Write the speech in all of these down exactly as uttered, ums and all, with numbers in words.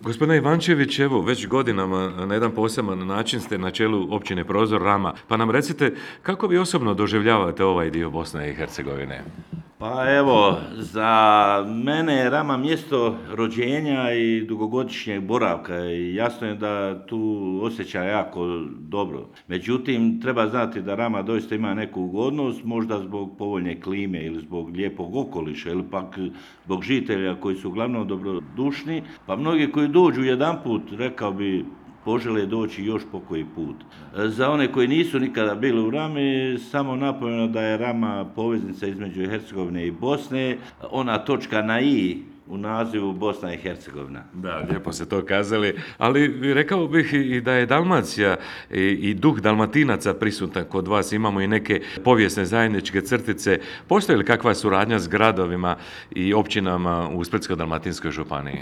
Gospodine Ivančević, evo već godinama na jedan poseban način ste na čelu općine Prozor Rama, pa nam recite kako vi osobno doživljavate ovaj dio Bosne i Hercegovine? Pa evo, za mene je Rama mjesto rođenja i dugogodišnjeg boravka i jasno je da tu osjećam jako dobro. Međutim, treba znati da Rama doista ima neku ugodnost, možda zbog povoljne klime ili zbog lijepog okoliša ili pak zbog žitelja koji su uglavnom dobrodušni, pa mnogi koji dođu jedanput, rekao bi, požele doći još po koji put. Za one koji nisu nikada bili u Rami, samo napomenu da je Rama poveznica između Hercegovine i Bosne, ona točka na i u nazivu Bosna i Hercegovina. Da, lijepo ste to kazali, ali rekao bih i da je Dalmacija i, i duh Dalmatinaca prisutan kod vas, imamo i neke povijesne zajedničke crtice. Postoji li kakva suradnja s gradovima i općinama u Splitsko-dalmatinskoj županiji?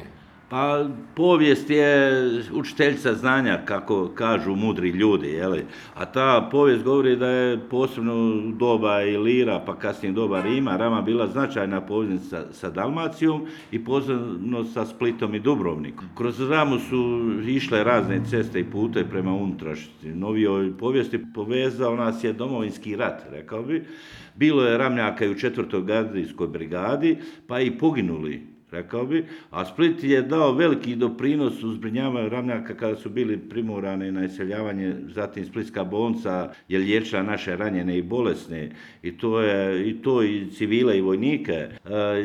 Pa povijest je učiteljica znanja, kako kažu mudri ljudi, jeli? A ta povijest govori da je posebno u doba Ilira, pa kasnije doba Rima, Rama bila značajna poveznica sa Dalmacijom i posebno sa Splitom i Dubrovnikom. Kroz Ramu su išle razne ceste i pute prema unutrašnjosti. Novijoj povijesti povezao nas je Domovinski rat, rekao bi. Bilo je Ramljaka i u četvrtoj gardijskoj brigadi, pa i poginuli, rekao bi, a Split je dao veliki doprinos u zbrinjavanju Ramljaka kada su bili primorani na iseljavanje, zatim Splitska bolnica je liječila naše ranjene i bolesne i to je i to i civile i vojnike. E,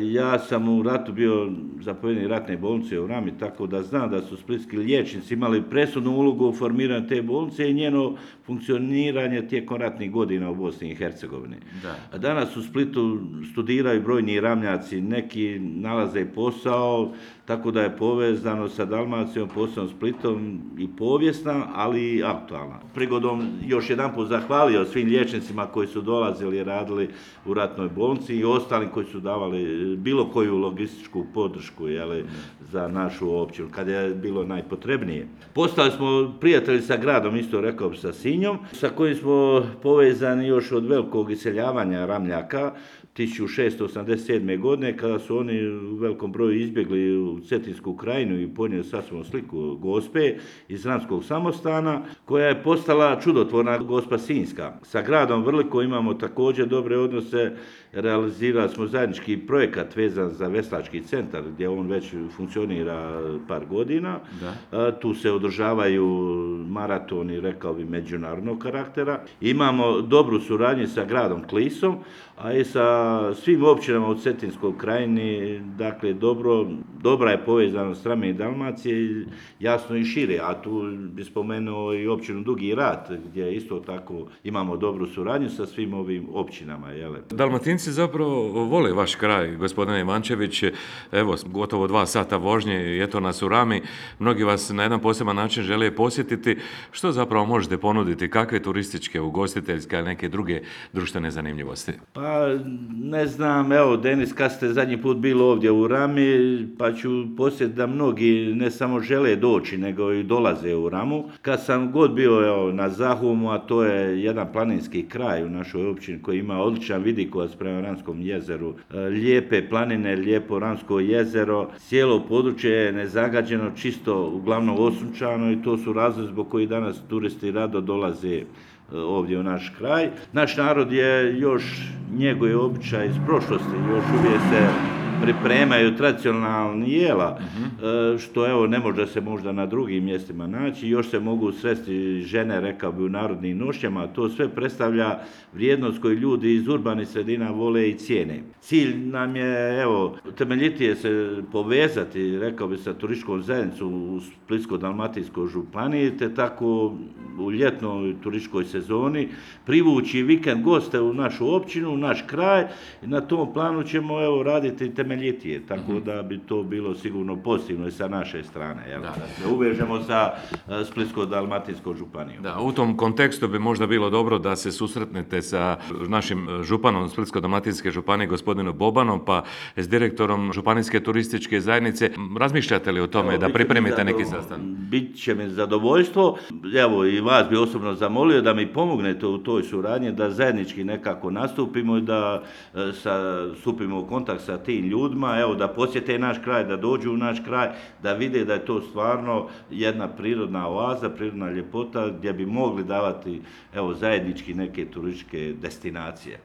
ja sam u ratu bio zapovjednik ratne bolnice u Rami, tako da znam da su splitski liječnici imali presudnu ulogu u formiranju te bolnice i njeno funkcioniranje tijekom ratnih godina u Bosni i Hercegovini. Da. Danas u Splitu studiraju brojni Ramljaci, neki nalaze posao, tako da je povezano sa Dalmacijom, posebno Splitom i povijesna, ali i aktualna. Prigodom još jedan put zahvalio svim liječnicima koji su dolazili i radili u ratnoj bolnici i ostalim koji su davali bilo koju logističku podršku, jeli, za našu općinu, kad je bilo najpotrebnije. Postali smo prijatelji sa gradom, isto rekao bi sa Sinjom, sa kojim smo povezani još od velikog iseljavanja Ramljaka, tisuću šesto osamdeset sedme. godine, kada su oni u velikom broju izbjegli u Cetinsku krajinu i ponijeli sa sobom sliku Gospe iz Ramskog samostana, koja je postala čudotvorna Gospa Sinjska. Sa gradom Vrliko imamo također dobre odnose, realizirali smo zajednički projekat vezan za veslački centar, gdje on već funkcionira par godina. Da. Tu se održavaju maratoni, rekao bi, međunarodnog karaktera. Imamo dobru suradnju sa gradom Klisom, a i sa svim općinama u Cetinskoj krajini, dakle, dobro, dobra je povezanost Rame i Dalmacije, jasno i šire, a tu bi spomenuo i općinu Dugi Rat, gdje isto tako imamo dobru suradnju sa svim ovim općinama. Jele. Dalmatinci zapravo vole vaš kraj, gospodine Ivančević, evo, gotovo dva sata vožnje, eto nas u Rami, mnogi vas na jedan poseban način žele posjetiti. Što zapravo možete ponuditi, kakve turističke, ugostiteljske, ali neke druge društvene zanimljivosti? Pa, ne znam, evo, Denis, kad ste zadnji put bili ovdje u Rami, pa ću posjetiti da mnogi ne samo žele doći, nego i dolaze u Ramu. Kad sam god bio, evo, na Zahumu, a to je jedan planinski kraj u našoj općini koji ima odličan vidikovac prema Ramskom jezeru, lijepe planine, lijepo Ramsko jezero, cijelo područje je nezagađeno, čisto, uglavnom osunčano i to su razlozi zbog koji danas turisti rado dolaze ovdje u naš kraj. Naš narod je još njeguje običaj iz prošlosti, još uvijek se pripremaju tradicionalni jela, uh-huh. što evo ne može se možda na drugim mjestima naći, još se mogu sresti žene, rekao bi, u narodnim nošnjama, to sve predstavlja vrijednost koju ljudi iz urbanih sredina vole i cijene. Cilj nam je, evo, temeljitije se povezati, rekao bi, sa turističkom zajednicom u Splitsko-dalmatinskoj županiji, te tako u ljetnoj turističkoj sezoni privući vikend goste u našu općinu, u naš kraj i na tom planu ćemo, evo, raditi temeljitije, tako mm-hmm. da bi to bilo sigurno pozitivno i sa naše strane, jel? Da, da se uvežemo sa Splitsko-dalmatinskom županijom. Da, u tom kontekstu bi možda bilo dobro da se susretnete sa našim županom Splitsko-dalmatinske županije, gospodinom Bobanom, pa s direktorom Županijske turističke zajednice. Razmišljate li o tome, evo, da pripremite zadovo... neki sastanak? Bit će mi zadovoljstvo. Evo, i vas bi osobno zamolio da mi pomognete u toj suradnji, da zajednički nekako nastupimo i da sa, stupimo u kontakt sa tim ljudima ljudima, evo, da posjete naš kraj, da dođu u naš kraj, da vide da je to stvarno jedna prirodna oaza, prirodna ljepota gdje bi mogli davati, evo, zajednički neke turističke destinacije.